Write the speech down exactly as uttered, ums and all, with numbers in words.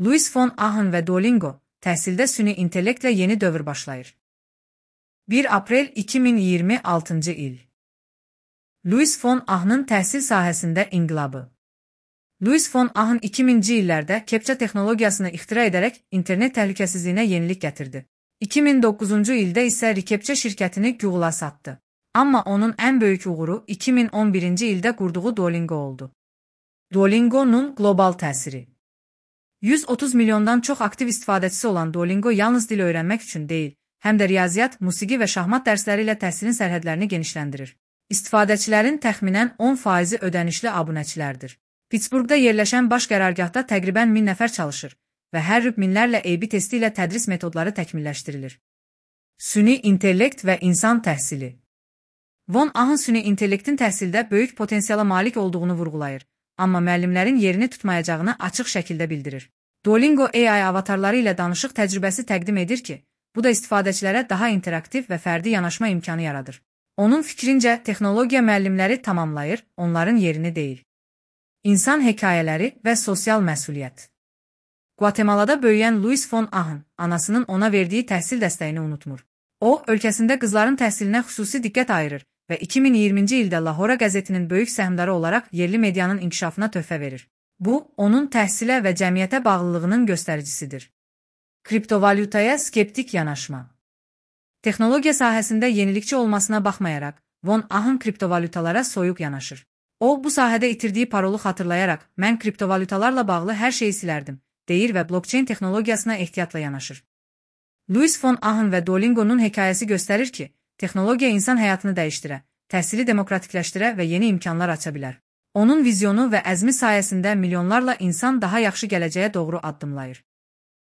Louis von Ahn və Duolingo, təhsildə süni intellektlə yeni dövr başlayır. bir aprel iki min iyirmi altıncı il. Louis von Ahn'ın təhsil sahəsində inqilabı. Louis von Ahn iki minci illərdə kepça texnologiyasını ixtira edərək internet təhlükəsizliyinə yenilik gətirdi. iki min doqquzuncu ildə isə Rikepçə şirkətini Google'a satdı. Amma onun ən böyük uğuru iki min on birinci ildə qurduğu Duolingo oldu. Duolingo'nun qlobal təsiri. yüz otuz milyondan çox aktiv istifadəçisi olan Duolingo yalnız dil öyrənmək üçün deyil, həm də riyaziyyat, musiqi və şahmat dərsləri ilə təhsilin sərhədlərini genişləndirir. İstifadəçilərin təxminən on faizi ödənişli abunəçilərdir. Pittsburghda yerləşən baş qərargahda təqribən min nəfər çalışır və hər rüb minlərlə A B testi ilə tədris metodları təkmilləşdirilir. Süni intellekt və insan təhsili. Von Ahn süni intellektin təhsildə böyük potensiala malik olduğunu vurğulayır, amma müəllimlərin yerini tutmayacağını açıq şəkildə bildirir. Duolingo A I avatarları ilə danışıq təcrübəsi təqdim edir ki, bu da istifadəçilərə daha interaktiv və fərdi yanaşma imkanı yaradır. Onun fikrincə, texnologiya müəllimləri tamamlayır, onların yerini deyil. İnsan hekayələri və sosial məsuliyyət. Guatemalada böyüyən Louis von Ahn, anasının ona verdiyi təhsil dəstəyini unutmur. O, ölkəsində qızların təhsilinə xüsusi diqqət ayırır və iki min iyirminci ildə Lahora qəzetinin böyük səhmdarı olaraq yerli medianın inkişafına töhfə verir. Bu, onun təhsilə və cəmiyyətə bağlılığının göstəricisidir. Kriptovalyutaya skeptik yanaşma. Texnologiya sahəsində yenilikçi olmasına baxmayaraq, von Ahn kriptovalyutalara soyuq yanaşır. O, bu sahədə itirdiyi parolu xatırlayaraq, mən kriptovalyutalarla bağlı hər şeyi silərdim, deyir və blockchain texnologiyasına ehtiyatla yanaşır. Louis von Ahn və Duolingo'nun hekayəsi göstərir ki, texnologiya insan həyatını dəyişdirə, təhsili demokratikləşdirə və yeni imkanlar aça bilər. Onun vizyonu və əzmi sayəsində milyonlarla insan daha yaxşı gələcəyə doğru addımlayır.